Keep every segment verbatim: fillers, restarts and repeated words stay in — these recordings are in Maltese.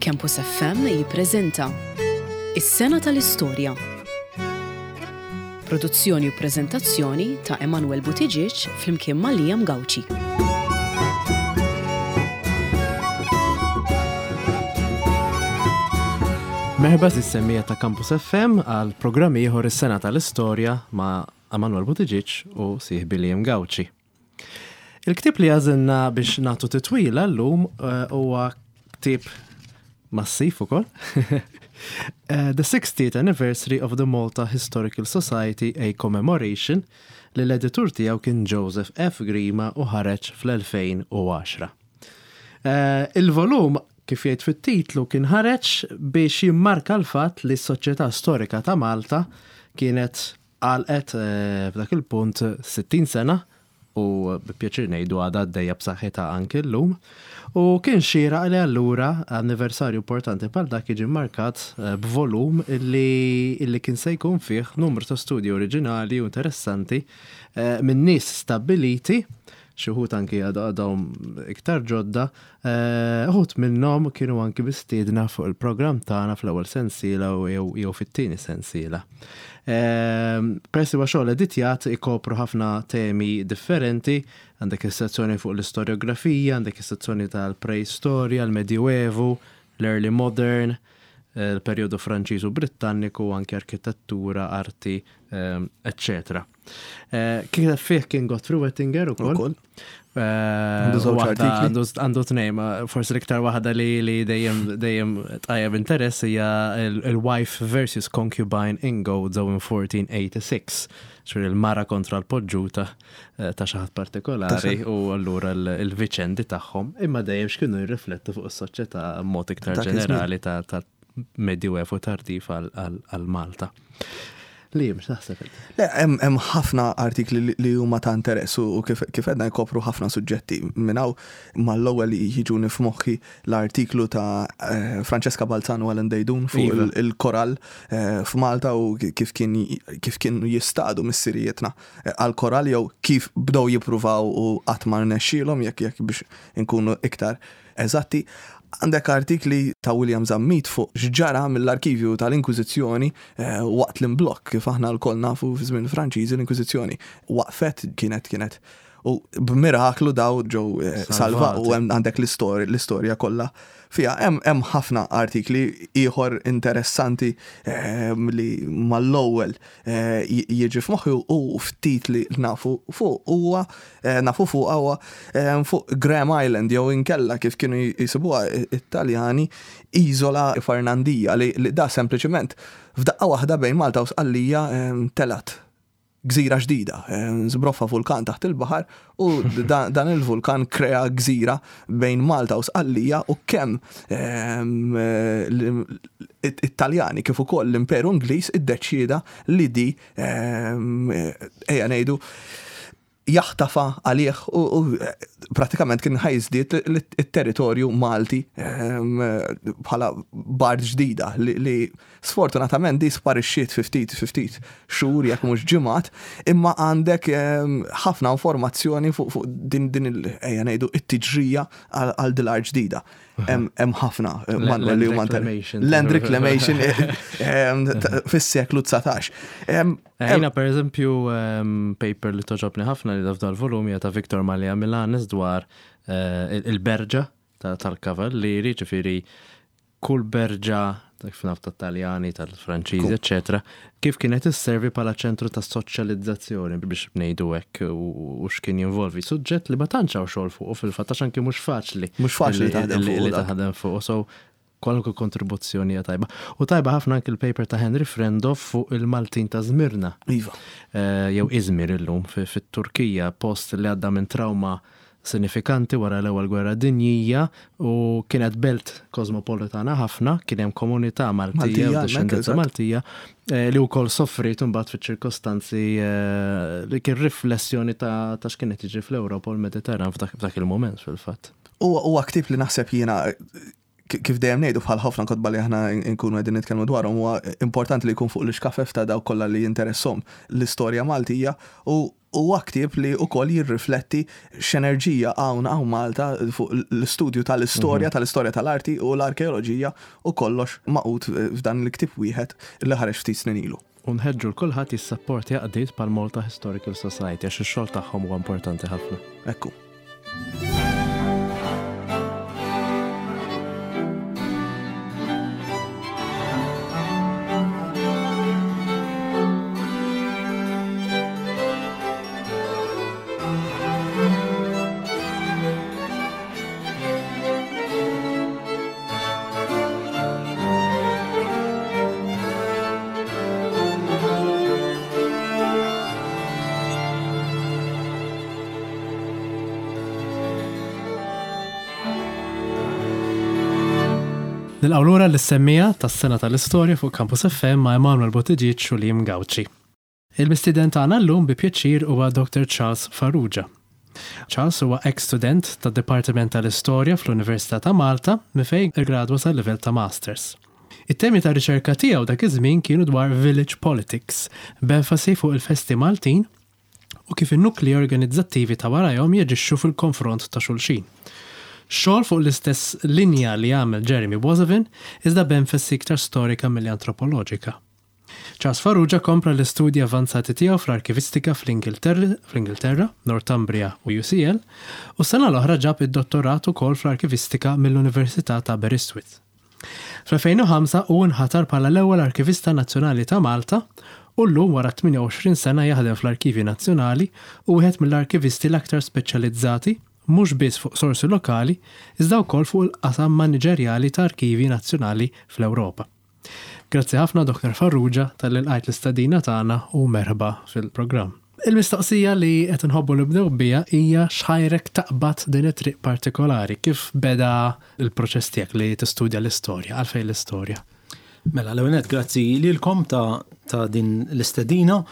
Campus F M jippreżenta Is-Sena tal-Istorja. Produzzjoni u preżentazzjoni ta' Emanuel Buttigieg flimkien ma' Liam Gauci. Merħba lis-semmiegħa ta' Campus F M għal programm ieħor, Is-Sena tal-Istorja, ma' Emanuel Buttigieg u sieħbi Liam Gauci. Il-ktib li għażilna biex nagħtu titwila llum eh, huwa ktib massiv ukoll. Eh, The sixtieth Anniversary of the Malta Historical Society, A Commemoration, li l-editur tiegħu kien Joseph F. Grima u ħareġ fl-elfejn u għaxra. Eh, Il-volum, kif jgħid fit-titlu, kien ħareġ biex jimmarka l-fatt li s-Soċjetà Storika ta' Malta kienet għalqet eh, f'dak il-punt sittin sena u bi pjaċir ngħidu għadha għaddejja b'saħħitha anki llum. U kien xieraq li allura anniversarju importanti bħal dak jiġi markat eh, b'volum illi, illi kien se jkun fih numru ta' studji oriġinali u interessanti eh, minn nies stabbiliti, xi wħud anki għadhom iktar ġodda, eh, uħud minnhom kienu anki mistiedna fuq il-programm tagħna fl-ewwel sensiela u jew jew fit-tieni sensiela. Eh, Peress huwa xogħol editjat, ikopru ħafna temi differenti, għandek is-sezzjoni fuq l-istoriografija, għandek is-sezzjoni tal-preistorja, l-Medjuevu, l-Early Modern, eh, il-perjodu Franċiż u Brittanniku, anki arkitettura, arti, eccetera. Kif fih kien Godfrey Wettinger ukoll. Ukoll. Eh, Għandu żewġ waħda- artikli. Għandu għandu tnejn, ma forsi l-iktar waħda li li dejjem dejjem tqajjem interess hija il- il-Wife versus Concubine in Gozo in fourteen eighty-six. Ċur il-mara kontra l-poġġuta eh, ta' xi ħadd partikolari u allura l- il-viċendi tagħhom, imma dejjem x'kienu jirriflettu fuq is-soċjetà mod iktar Dak iż-żmien. ġenerali ta' ta' Medjuevu tardiv għal- għal għal Malta. Li mhux taħseb inti? Le, hemm hemm ħafna artikli li- li huma ta' interess u u kif kif għedna jkopru ħafna suġġetti. Minn hawn mal-ewwel jiġuni f'moħħi l-artiklu ta' eh, Francesca Balzano u Alan Deidun fuq Iva. il- il-korall eh, f'Malta u kif kien kif kienu jistadu missirijietna eh, għal-korall jew kif bdew jippruvaw u qatt ma rnexxielhom, jekk jekk biex inkunu iktar eżatti. Għandek artikli ta' William Zammit fuq x'ġara mill-arkivju tal-Inkwiżizzjoni eh, waqt l-imblokk. Kif aħna lkoll nafu, fi żmien Franċiżi l-Inkwiżizzjoni waqfet, kienet kienet u b'miraklu daw ġew eh, salva Salvati. u hemm għandek l-istorja l-istorja kollha fiha. Hemm hemm ħafna artikli ieħor interessanti eh, li mal-ewwel eh, j- jiġi f'moħħi u ftit li nafu fuq huwa eh, nafu fuq huwa eh, fuq Graham Island jew inkella, kif kienu jisibuha Italjani, Isola Fernandija, li, li da sempliċement f'daqqa waħda bejn Malta u Sqallija eh, telat gżira ġdida, eh, żbroffa vulkan taħt il-baħar u dan, dan il-vulkan krea gżira bejn Malta u Sqallija u kemm ehm, eh, l- it-Taljani kif ukoll l-Imperu Ingliż iddeċieda li di ehm, eh, ejja ngħidu jaħtafa għalih u, u eh, pratikament kien ħa jiżdied il-territorju Malti ehm, bħala bard ġdida li, li sfortunatament di sparixxiet fi ftit fi ftit xhur, jekk mhux ġimgħat, imma għandek ehm, ħafna informazzjoni fuq fuq din din il ejja ngħidu it-tiġrija għal għal dil ġdida. Hemm hemm ħafna eh, Land Manuel li huma reclamation. Land reclamation eh, ehm, ta- fis-seklu dsatax. Ehm, Jiena per eżempju um, paper li togħġobni ħafna li f'dal volum hija ta' Victor Malia Milanes dwar eh, il- il-berġa ta- tal-kavallieri, ġifieri kull berġa dak fnaf tat-Taljani, tal-Franċiżi, eccetera, kif kienet isservi bħala ċentru ta' soċjalizzazzjoni, biex ngħidu hekk, u u x'kien jinvolvi. Suġġett li ma tantx hawn xogħol fuq fil-fatt, għax anki mhux faċli. Mhux faċli li- taħdem li- fuqu li dak. taħdem fuq. So kwalunkwe kontribuzzjoni hija tajba. U tajba ħafna anki il-paper ta' Henry Frendo fuq il-Maltin ta' Zmirna. Iva. Eh, jew Izmir illum fi- fit-Turkija, post li għadda minn trauma sinifikanti wara l-ewwel gwerra dinjija u kienet belt kosmopolitana ħafna, kien hemm komunità Maltija Maltija, u hemmhekk, dixxendenza eżatt. Maltija eh, li wkoll soffrit imbagħad fiċ-ċirkostanzi eh, li kien riflessjoni ta' ta' x'kienet jiġri fl-Ewropa u l-Mediterran f'dak f'dak il-moment fil-fatt. Huwa huwa ktib li naħseb jiena, ki- kif dejjem ngħidu bħal ħafna kotba li aħna nkunu qegħdin nitkellmu dwarhom, huwa importanti li jkun fuq l-iskafef ta' dawk kollha li jinteressom l-istorja Maltija u Huwa ktieb li wkoll jirrifletti x'enerġija hawn hawn Malta fuq l-istudju tal-istorja, mhm. tal-istorja tal-arti u l-arkeoloġija u kollox magħqud f'dan il-ktieb wieħed li ħareġ ftit snin ilu. U nħeġġu 'l kulħadd jissapporti għaqdiet bħal Malta Historical Society għax ix-xogħol tagħhom huwa importanti ħafna. Ekku. Nilqgħu lura lis-semmiegħa tas-sena tal-istorja fuq Campus F M ma' Emanuel Buttigieg u Liam Gauci. Il-mistieden tagħna llum bi pjaċir huwa Doctor Charles Farrugia. Charles huwa ex-student tad-Dipartiment tal-Istorja fl-Università ta' Malta minn fejn iggradwa sal-livell ta' Masters. It-temi ta' riċerka tiegħu dak iż-żmien kienu dwar village politics, b'enfasi fuq il-festi Maltin u kif in-nukli organizzattivi ta' warajhom jaġixxu fil-konfront ta' xulxin. Xogħol fuq l-istess linja li għamel Jeremy Boissevain, iżda b'enfasi iktar storika milli antropoloġika. Charles Farrugia kompla l-istudji avanzati tiegħu fl-arkivistika fl-Ingilterra, fl-Ingilterra, Northumbria u U C L, u s-sena l-oħra ġab id-dottorat ukoll fl-arkivistika mill-Università ta' Aberystwyth. Fl-elfejn u ħamsa hu nħatar bħala l-ewwel arkivista nazzjonali ta' Malta u llum, wara tmienja u għoxrin sena jaħdem fl-Arkivji Nazzjonali, u wieħed mill-arkivisti l-aktar speċjalizzati mhux biss fuq sorsi lokali, iżda wkoll fuq il-qasam maniġerjali ta' arkivi nazzjonali fl-Ewropa. Grazzi ħafna, Doctor Farrugia, talli lqajt l-istedina tagħna u merħba fil-programm. Il-mistoqsija li qed nħobbu nibdew biha hija x'ħajrek taqbad din it-triq partikolari, kif beda il-proċess tiegħek li tistudja l-istorja, għalfejn l-istorja? Mela, l-ewwel, grazzi lilkom ta', ta din l-istedina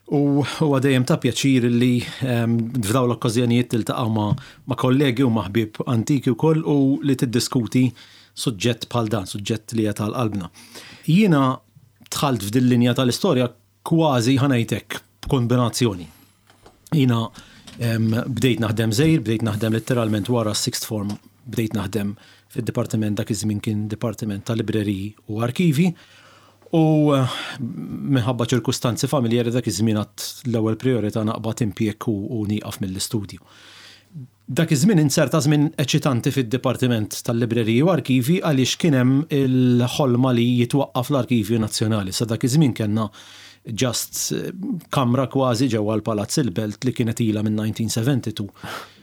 u huwa dejjem ta' pjaċir li um, f'dawn l-okkażjonijiet tiltaqgħu ma', ma' kollegi u ma' ħbieb antiki wkoll u li tiddiskuti suġġett bħal dan, suġġett li għal qalbna. Jiena dħalt f'din linja tal-istorja kważi, ħa ngħidlek, b'kombinazzjoni. Jiena um, bdejt naħdem żgħir, bdejt naħdem letteralment wara sixth form, bdejt naħdem fid-dipartiment, dak iż-żmien kien Dipartiment ta' Libreriji u Arkivi, u eh, minħabba ċirkustanzi familjari dak iż-żmien għat l-ewwel priorità naqbad impjieg u, u nieqaf mill-istudju. Dak iż-żmien inserta żmien eċitanti fid-Dipartiment tal-Libreriji u Arkivi għaliex kien hemm il-ħolma li jitwaqqaf l-Arkivju Nazzjonali. Sa dak iż-żmien kellna just eh, kamra kważi ġewwa l-Palazz il-Belt li kienet ilha minn elf disa' mija u tnejn u sebgħin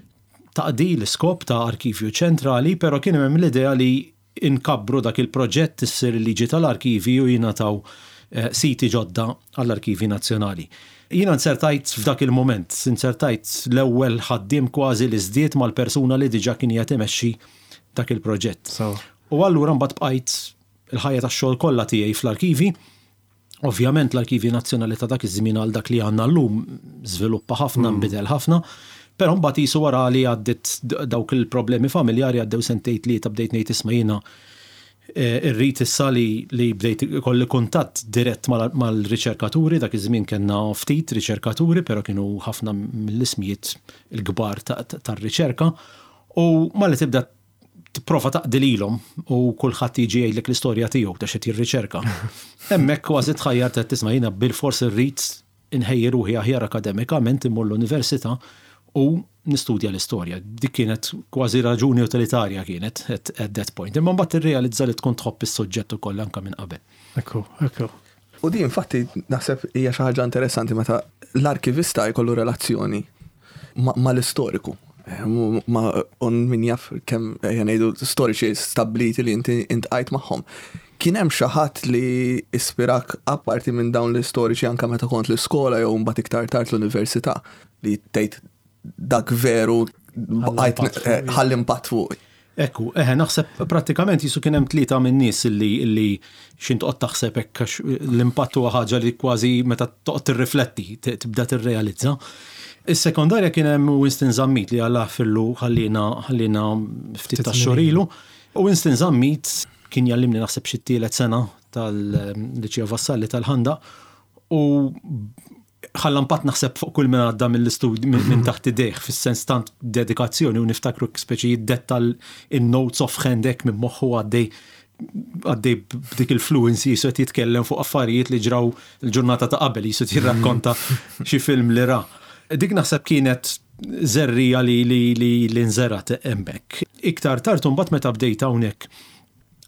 taqdi l-iskop ta' arkivju ċentrali, pero kien hemm l-idea li inkabbru dak il-proġett, issir il-liġi tal-arkivi u jingħataw eh, siti ġodda għall-Arkivi Nazzjonali. Jiena nsertajt f'dak il-moment, insertajt l-ewwel ħaddiem kważi li żdied mal-persuna li diġà kien qed imexxi dak il-proġett. So, U allura mbagħad bqajt il-ħajja tax-xogħol kollha tiegħi fl-arkivi. Ovvjament l-Arkivi Nazzjonali ta' dak iż-żmien għal dak li għandna llum żviluppa ħafna, nbidel ħafna, però mbagħad qisu wara li għaddit dawk il-problemi familjari, għaddew sentejn tlieta, bdejt ngħid, isma', jiena eh, irrid issa li, li bdejt kolli kuntatt dirett mal- mal-riċerkaturi. Dak iż-żmien kellna ftit riċerkaturi, però kienu ħafna mill-ismijiet il-kbar tar-riċerka u malli tibda tipprova taqdi lilhom u kulħadd jiġi jgħidlek l-istorja tiegħu ta' x'qed jirriċerka. Hemmhekk kważi tħajjar ta' tisma', jiena bil-fors irrid inħejji ruħi aħjar akademikament, immur l-università u nistudja l-istorja. Dik kienet kważi raġuni utilitarja kienet at, at that point. Imma mbagħad tirrealizza li tkun tħobb is-suġġett ukoll anke minn qabel. Ekku, ekku. U di infatti naħseb hija xi ħaġa interessanti meta l-arkivista jkollu relazzjoni ma- mal-istoriku. Eh, Ma on min jaf kemm, ejja ngħidu, storiċi stabiliti li inti iltqajt magħhom. Kien hemm xi ħadd li ispirak apparti minn dawn l-istoriċi anke meta kont l-iskola jew mbagħad iktar tard l-università li tgħid dak veru bqajt impatt fuq. eh, ħalli impatt fuq? Ekku, eħe, naħseb prattikament jisu kien hemm tlieta minn nies illi illi xin toqgħod taħseb hekk, għax l-impatt huwa ħaġa li kważi meta toqgħod tirrifletti tibda tirrealizza. Is-sekondarja kien hemm Winston Zammit li Alla jaħfirlu ħallina ħallina ftit Ftit ta' xhur ilu. U Winston Zammit kien jallimni naħseb xi tielet sena tal-Liċeo Vassalli tal-Ħandaq u Ħalla impatt naħseb fuq kull minn għadda mill-istudju minn taħt idejh, fis-sens tant dedikazzjoni, u niftakru speċi jiddetta il-notes off-hand hekk minn moħħu, għaddej għaddej b'dik il-fluency, qisu qed jitkellem fuq affarijiet li ġraw il-ġurnata ta' qabel, qisu jirrakkonta xi film li ra. Dik naħseb kienet żerriegħa li li li li nżerat hemmhekk. Iktar tard mbagħad, meta bdejt hawnhekk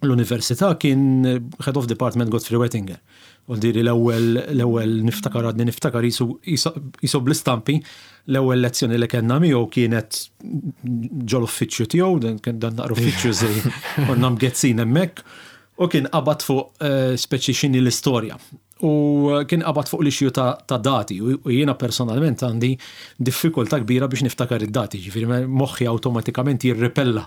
l-università, kien head of department Godfrey Wettinger. U diri l-ewwel l-ewwel niftakar, għadni niftakar qisu bl-istampi, l-ewwel lezzjoni li kellna miegħu kienet ġol uffiċċju tiegħu, dan kien dan naqra uffiċċju żej, konna mgezzin hemmhekk, u kien qabad fuq eh, speċi x'inhi l-istorja. U kien qabad fuq l-issue ta', ta dati u u jiena personalment għandi diffikultà kbira biex niftakar id-dati, ġifieri moħħi awtomatikament jirripella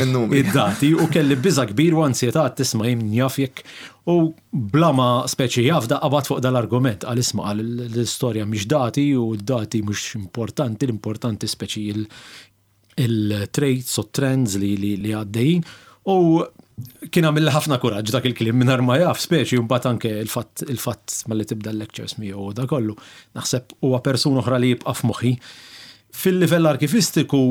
Il-numri. id-dati, u kelli biża kbir u ansjetà, tisma' jien jaf jekk, u bla ma speċi jaf da qabad fuq dal-argument, għal isma', għal l-istorja mhix dati u d-dati mhux importanti, l-importanti speċi il- il-traits u trends li, li, li għaddejjin, u kien għamil ħafna kuraġġ dak il-kliem minn ma jaf speċi. Mbagħad anke il-fatt il-fatt malli tibda l-lectures miegħu u da kollu. Naħseb huwa persuna oħra li jibqa' f'moħħi. Fil-livell arkivistiku,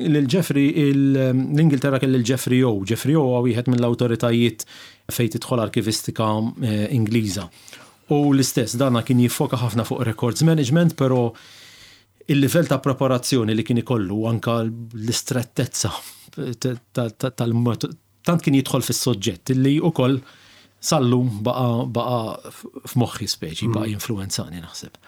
lil Jeffrey, l-Ingilterra kelli l-Jeffrey O. Jeffrey O huwa wieħed mill-awtoritajiet fejn tidħol arkivistika eh, Ingliża. U l-istess, dana kien jiffoka ħafna fuq records management, però il-livell ta' preparazzjoni li kien ikollu, anka l-istrettezza tal tant kien jidħol fis-soġġett li ukoll sal-lum baqa baqa f'moħħi speċi, baqa jinfluwenzani naħseb.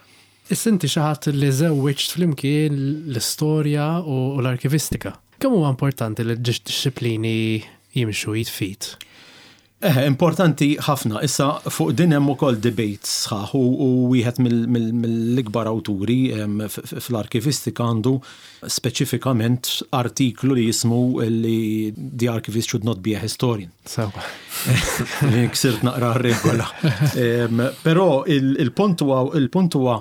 Issa inti xi ħadd li żewwiġt flimkien l-istorja u l-arkivistika. Kemm huwa importanti li d-disciplini jimxu id f'id? Eh, importanti ħafna. Issa fuq din hemm ukoll debate sħaħ u u wieħed mill-ikbar awturi em, f- f- fl-arkivistika għandu speċifikament artiklu li jismu li "The Archivist Should Not Be a Historian". Sewa. Ksirt naqra regola. Em, Però il- il-punt huwa il-punt huwa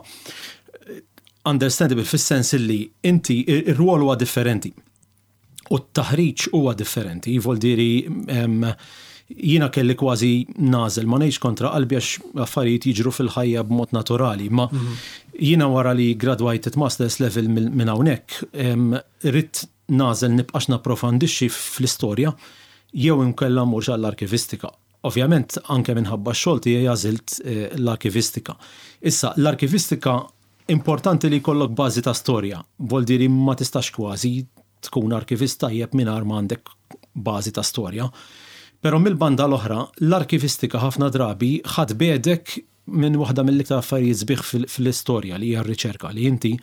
understandable fis-sens li inti ir-rwol huwa differenti. U t-taħriġ huwa differenti. Voldiri em, jiena kelli kważi nagħżel, ma ngħidx kontra qalbi għax affarijiet jiġru fil-ħajja b'mod naturali, ma jiena wara li graduated masters level minn hawnhekk, em, ridt nagħżel nibqax napprofondixxi fl-istorja jew inkella mmurx għall-arkivistika. Ovvjament anke minħabba x-xogħol tiegħi għażilt eh, l-arkivistika. Issa l-arkivistika importanti li jkollok bażi ta' storja, voldiri ma tistax kważi tkun arkivist tajjeb mingħajr ma għandek bażi ta' storja. Però mill-banda l-oħra, l-arkivistika ħafna drabi ħa tbegħdek minn waħda mill-iktar affarijiet sbieħ fil- fil-istorja, li hija r-riċerka, li inti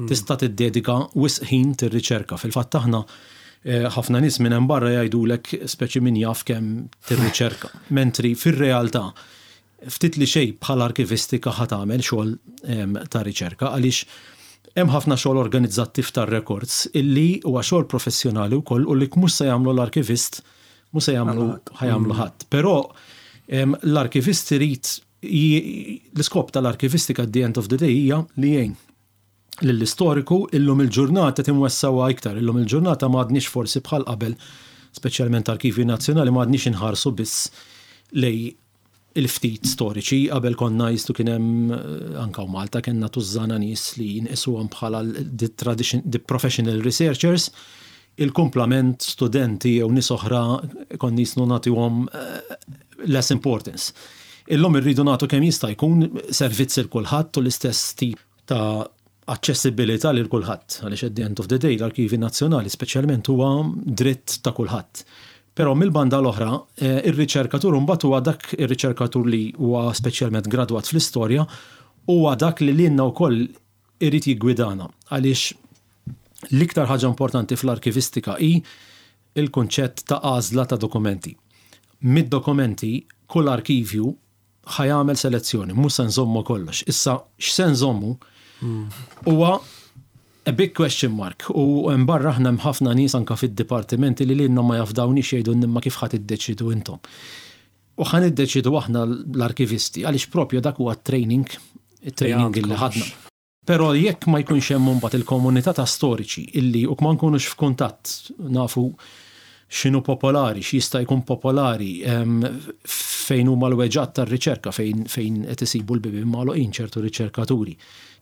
tista' tiddedika wisq ħin tirriċerka. Fil-fatt aħna eh, ħafna nies minn hemm barra jgħidulek speċi min jaf kemm tirriċerka. Mentri fir-realtà ftit li xejn bħala arkivistika ħa tagħmel xogħol em, ta' riċerka, għaliex hemm ħafna xogħol organizzattiv tar-records illi huwa xogħol professjonali wkoll u li mhux se jagħmlu l-arkivist, mhux se jagħmlu ħa jagħmlu ħadd. Però em, l-arkivist irid j- l-iskop tal-arkivistika at the end of the day hija li jgħin lill-istoriku. Illum il-ġurnata timwessawa iktar, illum il-ġurnata ma għadniex forsi bħal qabel, speċjalment arkivji nazzjonali, ma għadniex inħarsu biss lej il-ftit storiċi. Qabel konna jistu kien hemm eh, anka u Malta kellna tużżana nies li jinqisuhom bħala the, tradition, the professional researchers, il-kumplament studenti jew nies oħra konna jisnu nagħtuhom eh, less importance. Illum irridu nagħtu kemm jista' jkun servizz il kulħadd u l-istess tip ta' aċċessibilità lil kulħadd, għaliex at the end of the day l-Arkivi Nazzjonali speċjalment huwa dritt ta' kulħadd. Però mill-banda l-oħra, eh, ir-riċerkatur mbagħad huwa dak ir-riċerkatur li huwa speċjalment gradwat fl-istorja, huwa dak li lilna wkoll irid jiggwidana, għaliex l-iktar ħaġa importanti fl-arkivistika hi il-kunċett ta' għażla ta' dokumenti. Mid-dokumenti kull arkivju ħa jagħmel selezzjoni, mhux se nżommu kollox. Issa x'se nżommu huwa a big question mark, u barra aħna hemm ħafna nies anka fid-dipartimenti li lilna ma jafdawniex, jgħidu imma kif ħa tiddeċidu intom. U ħa niddeċidu aħna l-arkivisti, għaliex propju dak huwa training, training illi ħadna. Però jekk ma jkunx hemm mbagħad il-komunità ta' storiċi illi u ma nkunux f'kuntatt, nafu x'inhu popolari, x'jista' jkun popolari, em, Fejn huma l-weġgħat tar-riċerka, fejn fejn qed isibu l-bibien magħluqin ċertu riċerkaturi.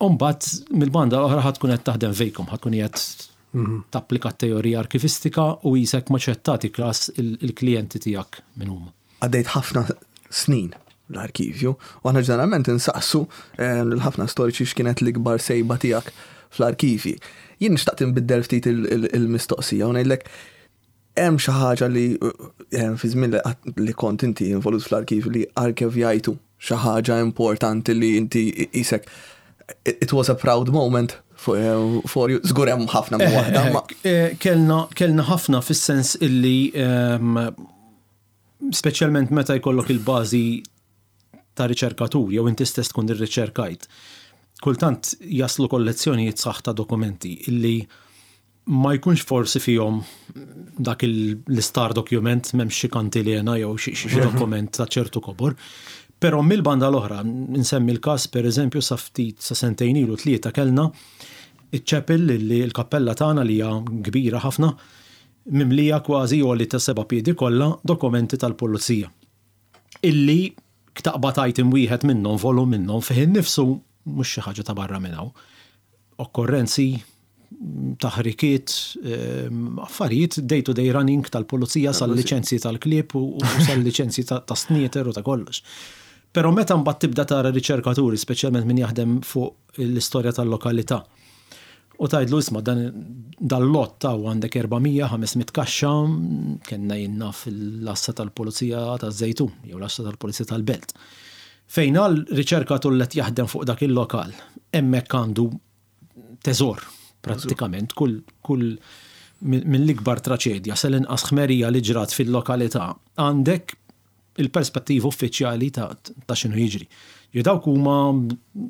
Umbagħad mill-banda l-oħra ħa tkun qed taħdem fejkom, ħa tkun qed tapplika teorija arkivistika u jisek maċettati klas il-klijenti tiegħek minn huma. Għaddejt ħafna snin l-arkivju, u aħna ġeneralment insaqsu eh, l-ħafna storiċi x'kienet l-ikbar sejba tiegħek fl-arkivi. Jien nixtaq tinbiddel ftit il-mistoqsija u ngħidlek, hemm xi ħaġa li eh, fi żmien li kont inti involut fl-arkiv li arkivjajtu, xi ħaġa importanti li inti isek it was a proud moment for, eh, for you? Żgur hemm ħafna minn waħda. Eh, kellna kellna ħafna fis-sens illi ehm, speċjalment meta jkollok il-bażi ta' riċerkatur jew inti stess tkun irriċerkajt. Kultant jaslu kollezzjonijiet sħaħ ta' dokumenti illi ma jkunx forsi fihom dak l-star document, m'hemmx xi kantilena jew xi dokument ta' ċertu kobor. Però mill-banda l-oħra, nsemmi l-każ, per eżempju, sa ftit, sa sentejn ilu, tlieta, kellna iċ-chapel li l-kappella tagħna li hija kbira ħafna, mimlija kważi għoli ta' seba' piedi kollha dokumenti tal-pulizija. Illi taqbad item wieħed minnhom, volum minnhom, fih innifsu mhux xi ħaġa ta' barra minn hawn. Okkorrenzi, taħrikiet, ehm, affarijiet day-to-day running tal-pulizija, sal-liċenzji tal-klieb u sal-liċenzji ta' snieter u ta' kollox. Però meta mbagħad tibda tara riċerkaturi, speċjalment min jaħdem fuq l-istorja tal-lokalità, u tgħidlu, "Isma', dan dal-lot ta' għandek erba' mija ħames mitt kaxxa", kellna jiena fil-lassa tal-pulizija taż-Żejtun jew l-għassa tal-pulizija tal-Belt. Fejn għal riċerkatur li jaħdem fuq dak il-lokal, hemmhekk għandu teżor prattikament, kull kull mill-ikbar traċedja sal-inqas ħmerija li ġrat fil-lokalità għandek il-perspettiva uffiċjali ta', ta x'inhu jiġri. Jo dawk huma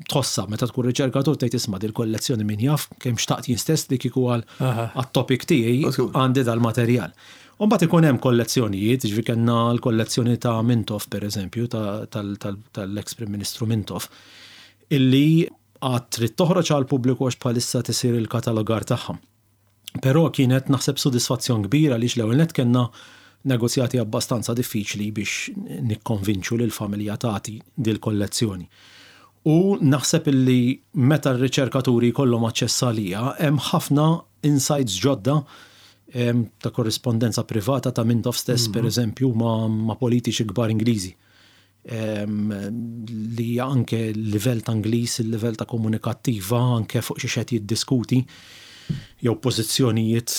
tħossa meta tkun riċerkatur tgħid, "Isma', dil-kollezzjoni min jaf kemm xtaqt jien stess li kieku għal għat-topic tiegħi għandi dal-materjal." U mbagħad ikun hemm kollezzjonijiet, ġifi kellna l-kollezzjoni ta' Mintoff, per eżempju, tal-ex Prim Ministru Mintoff, illi għad trid toħroġ għal pubbliku għax bħalissa tisir il-katalogar tagħha. Però kienet, naħseb, sodisfazzjon kbira għaliex l-ewwel net kellna negozjati abbastanza diffiċli biex nikkonvinċu lil familja tagħti dil-kollezzjoni. U naħseb illi meta r-riċerkaturi jkollhom aċċess għaliha, hemm ħafna insights ġodda ta' korrispondenza privata ta' Mintoff stess, per mhm. eżempju, ma', ma politiċi kbar Ingliżi. Li anke l-livell ta' Ingliż, il-livell ta' komunikattiva, anke fuq xi qed jiddiskuti, jew pożizzjonijiet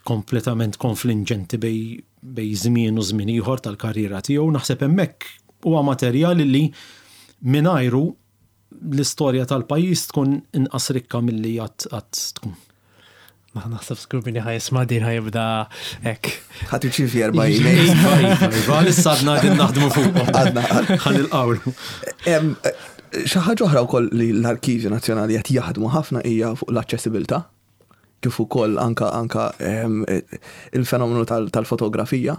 kompletament konfliġġenti bejn bejn żmien u żmien ieħor tal-karriera tiegħu, naħseb hemmhekk huwa materjal li mingħajru l-istorja tal-pajjiż tkun inqas rikka milli għad tkun. Naħseb żgur min ħa jisma' din ħa jibda hekk. Ħa tirċievi erba' emails. Iva, issa għadna din naħdmu fuq. Għadna. Ħa nilqgħu. Xi ħaġa oħra wkoll li l-Arkivju Nazzjonali qed jaħdmu ħafna hija fuq l-aċċessibilità, kif ukoll anka anka il-fenomenu tal-fotografija,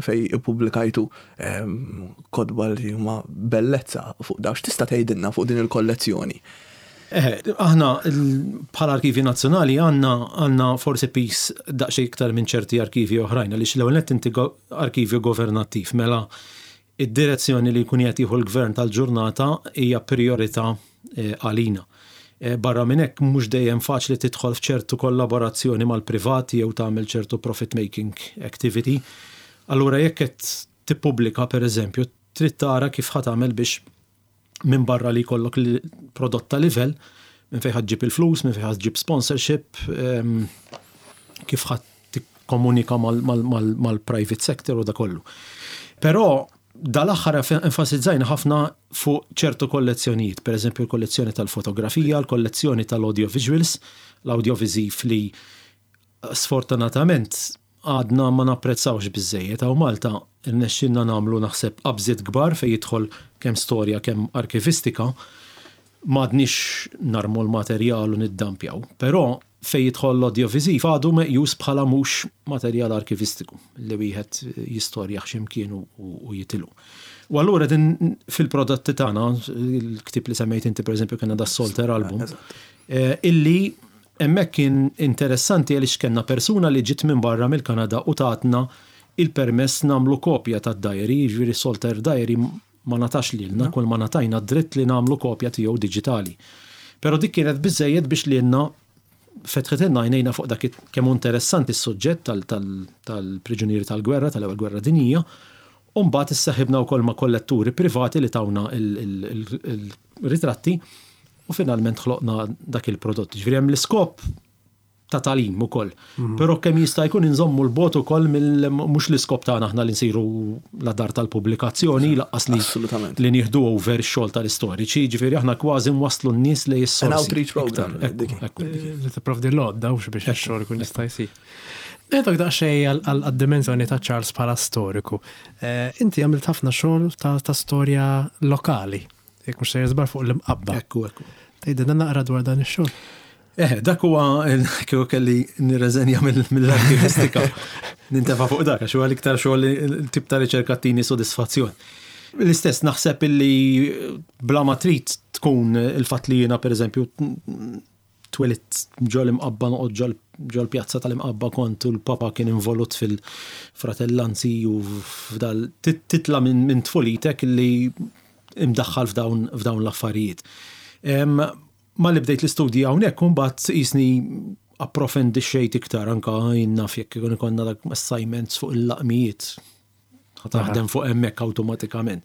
fejn ippubblikajtu kotba li huma bellezza fuq daw. X'tista' tgħidilna fuq din il-kollezzjoni? Eh, aħna bħala Arkivi Nazzjonali għandna għandna forsi piż daqsxejn iktar minn ċerti arkivi oħrajn, għaliex l-ewwel nett inti arkivju governattiv, mela id-direzzjoni li jkun qed jieħu l-gvern tal-ġurnata hija priorità eh, għalina. Eh, barra minn hekk, mhux dejjem faċli tidħol f'ċertu kollaborazzjoni mal-privati jew tagħmel ċertu profit making activity. Allura jekk qed tippubblika, per eżempju, trid tara kif ħa tagħmel biex minn barra li jkollok prodott ta' livell, minn fejn ġib il-flus, minn fejn ġib sponsorship, ehm, kif ħa tikkomunika mal-private sector u da kollu. Però dal-aħħar enfasizzajna ħafna fuq ċertu kollezzjonijiet, per eżempju l-kollezzjoni tal-fotografija, l-kollezzjoni tal-audiovisuals, l-audiovisiv li sfortunatament għadna ma napprezzawx biżżejjed. Hawn Malta irnexxilna nagħmlu, naħseb, qabżiet kbar fejn jidħol kemm storja kemm arkivistika, m'għadniex narmu l-materjal u niddampjaw. Però fejn jidħol l-audiovisiv għadu meqjus bħala mhux materjal arkivistiku li wieħed jistorja x'imkien u jitilu. U allura din fil-prodotti tagħna, il-ktib li semmejt inti, pereżempju, kellna da Salter album, eh, illi hemmhekk kien interessanti għaliex kellna persuna li ġiet minn barra mill-Kanada u tatna il-permess nagħmlu kopja tad-diary, jiġifieri Salter Diary ma ngħatax lilna, kull ma ngħatajna dritt li nagħmlu kopja tiegħu diġitali. Però dik kienet biżejjed biex lilna fetħetilna għajnejna fuq dak kemm interessanti s-suġġett tal-priġunieri tal-gwerra, tal-ewwel gwerra dinjija, u mbagħad isseħibna wkoll ma' kolletturi privati li tawna il-ritratti u finalment ħloqna dak il-prodott. Ġifieri hemm l-iskop ta' tagħlim ukoll. Mhm. Però kemm jista' jkun inżommu 'l bogħod ukoll mill mhux l-iskop tagħna aħna li nsiru la dar tal-pubblikazzjoni lanqas li li nieħdu over x-xogħol tal-istoriċi, ġifieri aħna kważi nwasslu n-nies li jissorsi. An outreach program. Li tipprovdi l-għodda u biex ix-xogħol ikun jista' jsir. Ngħidlek daqsxejn għad-dimensjoni ta' Charles bħala storiku. Eh, inti għamilt ħafna xogħol ta' storja lokali, jekk mhux sejjer żball fuq l-Imqabba. Ekku, ekku. Tgħidilna naqra dwar dan ix-xogħol. Eh, dak huwa kieku kelli nirreżenja mill-arkivistika. Nintefa' fuq dak, għax huwa l-iktar xogħol tip ta' riċerka tini sodisfazzjon. L-istess naħseb illi bla ma trid tkun il-fatt li jiena pereżempju twelidt ġol-Imqabba noqgħod ġol-pjazza tal-Imqabba kont u l-papa kien involut fil-fratellanzi u f'dal titla minn tfulitek li imdaħħal f'dawn l-affarijiet. Ma li bdejt l-istudji hawnhekk imbagħad qisni approfondixxejt iktar anka naf jekk ikun ikollna dak assignments fuq il-laqmijiet. Taħdem fuq hemmhekk awtomatikament.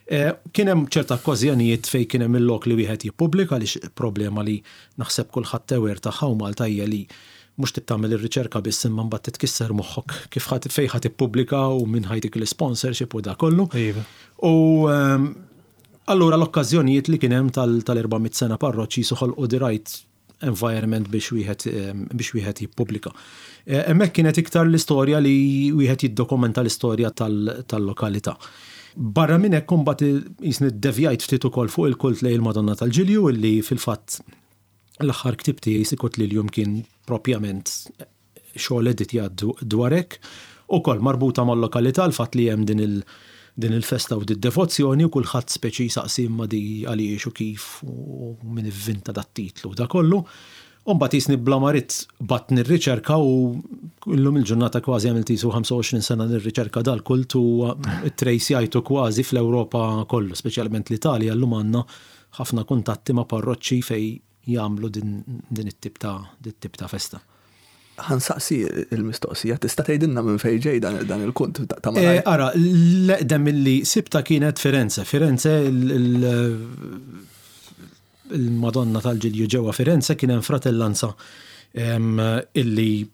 Eh, kien hemm ċerta okkażjonijiet fejn kien hemm il-lok li wieħed jippubblika għaliex problema li naħseb kulħadd aware tagħha u Malta hija li mhux tagħmel ir-riċerka biss imma mbagħad titkisser moħħok kif fejn ħadd ippubblika u min ħa jtik l-sponsorship u da kollu. Iva. U ehm, allura l-okkażjonijiet li kien hemm tal-erba' mitt sena parroċċi ħolqu the right environment biex wieħed ehm, biex wieħed jippubblika. Eh, hemmhekk kienet iktar l-istorja li wieħed jiddokumenta l-istorja tal-lokalità. Barra minn hekk imbagħad qisni devjajt ftit ukoll fuq il-kult lejn il-Madonna tal-Ġilju illi fil-fatt l-aħħar ktieb tiegħi Sicut Lilium kien propjament xogħol editjat dwar hekk, ukoll marbuta mal-lokalità l-fatt li hemm din il- din il-festa u d-devozzjoni u kulħadd speċi saqsi imma di għaliex u kif u min ivvinta dat titlu da kollu. U mbagħad qisni bla ma ridt bdejt nirriċerka u illum il-ġurnata kważi għamilt qisu ħamsa u għoxrin sena nirriċerka dal-kult u tracejajtu kważi fl-Ewropa kollu, speċjalment l-Italja llum għandna ħafna kuntatti ma' parroċċi fej jagħmlu din, din it-tip ta' din it-tip ta' festa. Ħa nsaqsi il-mistoqsija, tista' tgħidilna minn fejn ġej dan, dan il-kult ta' ta' Eh, Ara, l-eqdem illi sibta kienet Firenze. Firenze il- il-Madonna tal-Ġilju ġewwa Firenze kien hemm fratellanza em, illi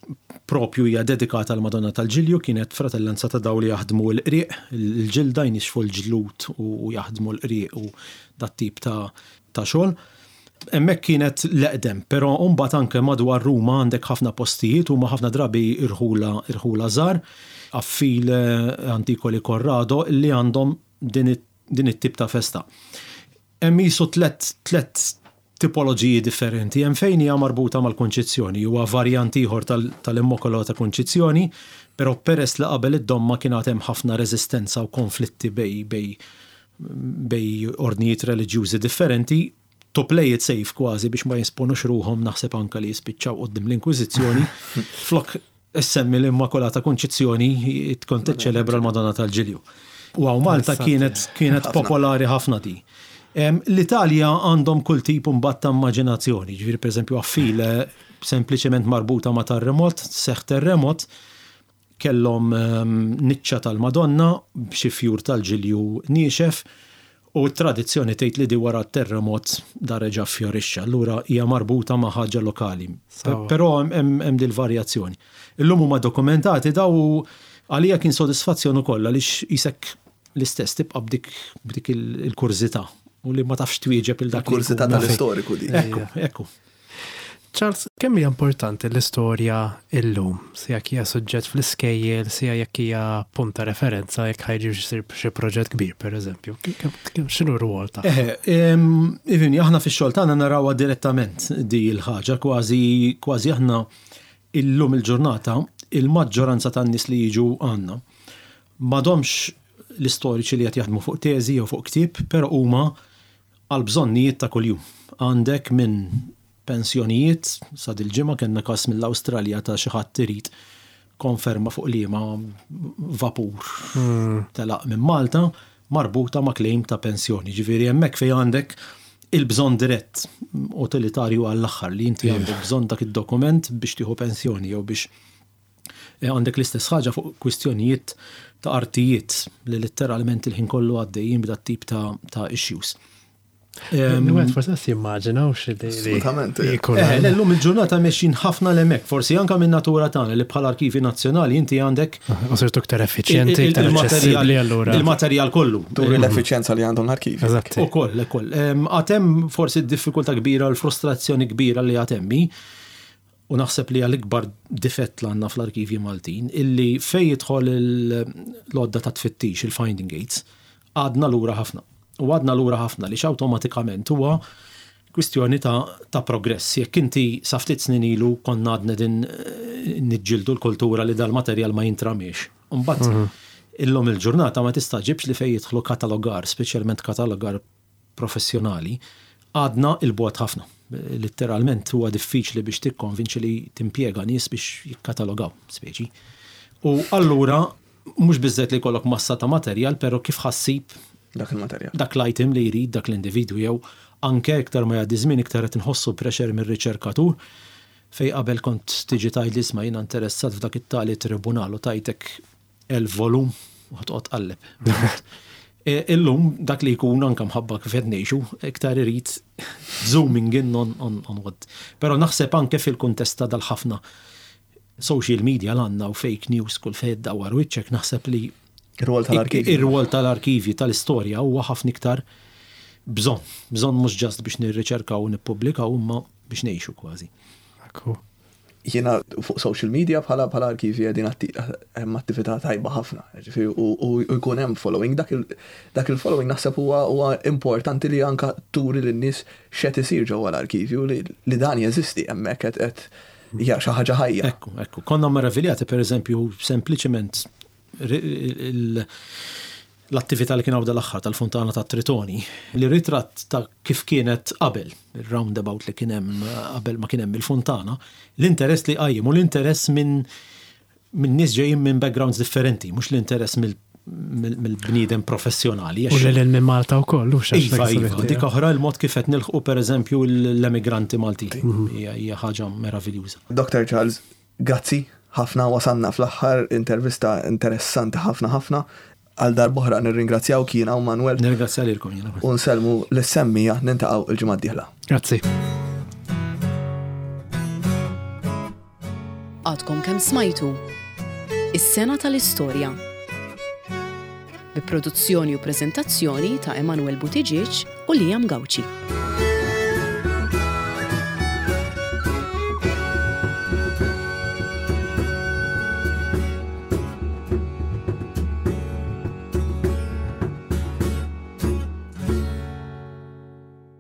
propju hija dedikata għal Madonna tal-Ġilju, kienet fratellanza ta' daw li jaħdmu l-qrieq, il-ġilda jnixfu l-ġlud u jaħdmu l-qrieq u dat tip ta' ta' xogħol. Hemmhekk kienet l-eqdem, però mbagħad anke madwar Ruma għandek ħafna postijiet u ma ħafna drabi irħula irħula żgħar, Affile, Anticoli Corrado, li għandhom din it- din it-tip ta' festa. Hemm qisu tlet tlet tipoloġiji differenti. Hemm fejn hija marbuta mal-konċizzjoni, huwa varjant ieħor tal-Immacolata Konċizzjoni, però peress li qabel id-domma kien hemm ħafna reżistenza u konflitti bej bej bej ordnijiet reliġjużi differenti, to play it safe kważi biex ma jesponux ruħhom naħseb anka li jispiċċaw quddiem l-Inkwiżizzjoni, flok issemmi l-Immakolata Konċizzjoni tkun tiċċelebra l-Madonna tal-Ġilju. U hawn Malta kienet kienet popolari ħafna di. L-Italja għandhom kull tip mbagħad ta' immaġinazzjoni, ġifieri pereżempju Affile sempliċement marbuta ma' terremot, seħ terremot, kellhom niċċa tal-Madonna b'xi fjur tal-ġilju niexef u t-tradizzjoni tgħid li di wara terremot da reġa' fjorixxa, allura hija marbuta ma' ħaġa lokali. Però hemm dil varjazzjoni. Illum huma dokumentati daw għalija kien sodisfazzjon ukoll għaliex qisek l-istess tibqa' b'dik b'dik il-kurżità u li ma tafx twieġeb il dak. Il-kurżità tal-istoriku di. Ekku, ekku. Charles, kemm hija importanti l-istorja illum? Sija jekk hija suġġett fl-iskejjel, sija jekk hija punt ta' referenza jekk ħa jiġi jsir xi proġett kbir, pereżempju. X'inhu r-rwol ta' Eh, Ifhimni, aħna fix-xogħol tagħna narawha direttament di l-ħaġa, kważi kważi aħna illum il-ġurnata il-maġġoranza tan-nies li jiġu għandna m'għadhomx l-istoriċi li qed jaħdmu fuq teżi jew fuq ktieb, però huma għal bżonnijiet ta' kuljum. Għandek minn pensjonijiet, sa dil-ġimgħa kellna każ mill-Awstralja ta' xi ħadd irid Konferma fuq liema vapur telaq minn Malta marbuta ma' claim ta' pensjoni. Ġifieri hemmhekk fejn għandek il-bżonn dirett utilitarju għall-aħħar li inti għandek bżonn dak id-dokument biex tieħu pensjoni jew biex eh, għandek l-istess ħaġa fuq kwistjonijiet ta' artijiet li letteralment il-ħin kollu għaddejjin b'dat tip ta', ta' issues. Wieħed forsi qas jimmaġinaw xi li Assolutament, jkun. Eh, l-lum il-ġurnata mexjin ħafna l-hemmhekk, forsi anka minn natura tagħna li bħala arkivi nazzjonali inti għandek U sirtu iktar effiċjenti, iktar aċċessibbli allura. il-materjal kollu. Turi l-effiċjenza li għandhom l-arkivi. Eżatt. U koll, ukoll. Għad hemm forsi d-diffikultà kbira, l-frustrazzjoni kbira li għad hemm, u naħseb li għal-ikbar difett li għandna fl-arkivji Maltin, illi fej jidħol l-għodda ta' tfittix, il-finding aids, għadna lura ħafna. U għadna lura ħafna li awtomatikament huwa kwistjoni ta', ta' progress. Jekk inti sa ftit snin ilu konna għadna din eh, niġġildu l-kultura li dal-materjal ma jintramiex. Mbagħad illum il-ġurnata ma tistaġibx li fej jidħlu katalogar, speċjalment katalogar professjonali, għadna 'il bogħod ħafna. Letteralment huwa diffiċli biex tikkonvinċi li timpjega nies biex jikkatalogaw, speċi. U allura mhux biżżejjed li jkollok massa ta' materjal, però kif ħa ssib Dak il-materjal. dak l-item li jrid dak l-individwu jew anke iktar ma jgħaddi żmien iktar qed inħossu pressure mir-riċerkatur fej qabel kont tiġi tgħid li isma' jiena interessat f'dak it-tali tribunal u tajtek elf volum u ħa toqgħod tqalleb. E, Illum dak li jkun anke mħabba kif qed ngħixu iktar irid zooming in on, on, on what. Però naħseb anke fil-kuntest ta' dal-ħafna social media l-għandna u fake news kull fejn dawar wiċċek, naħseb li Ir-rwol tal-arkivi. Ir-rwol tal-arkivi tal-istorja huwa ħafna iktar bżonn. Bżonn mhux just biex nirriċerkaw u nippubblikaw, imma biex ngħixu kważi. Ekku. Jiena fuq social media bħala bħala arkivi qegħdin atti- hemm attività tajba ħafna. Ġifieri u u jkun hemm following, dak il dak il-following naħseb huwa huwa importanti li anka turi lin-nies x'qed isir ġewwa l-arkivju, li, li dan jeżisti hemmhekk, qed qed hija xi ħaġa ħajja. Ekku, ekku. Konna meraviljati, per eżempju, sempliċement ri- il- l-attività li kien hawn dal-aħħar tal-Fontana ta' Tritoni, li ritratt ta' kif kienet qabel, il-roundabout li kien hemm qabel ma kien hemm il-fontana, l-interess li qajjem u l-interess minn minn nies ġejjin minn backgrounds differenti, mhux l-interess mill- mill- mill-bniedem professjonali. U lil minn Malta wkoll, u Iva, iva, dik oħra, il-mod kif qed nilħqu, per eżempju, l-emigranti Maltin. Hija hija ħaġa meraviljuża. Doktor Charles, grazzi ħafna, wasanna fl-aħħar, intervista interessanti ħafna ħafna. Għal darb'oħra nirringrazzjaw jiena u Manuel Nirringrazzja lilkom jiena. u nsellmu lis-semmiegħa, niltaqgħu il-ġimgħa d-dieħla. Grazzi. Għadkom kemm smajtu Is-sena tal-istorja, bi produzzjoni u preżentazzjoni ta' Emanuel Buttigieg u Liam Gauci.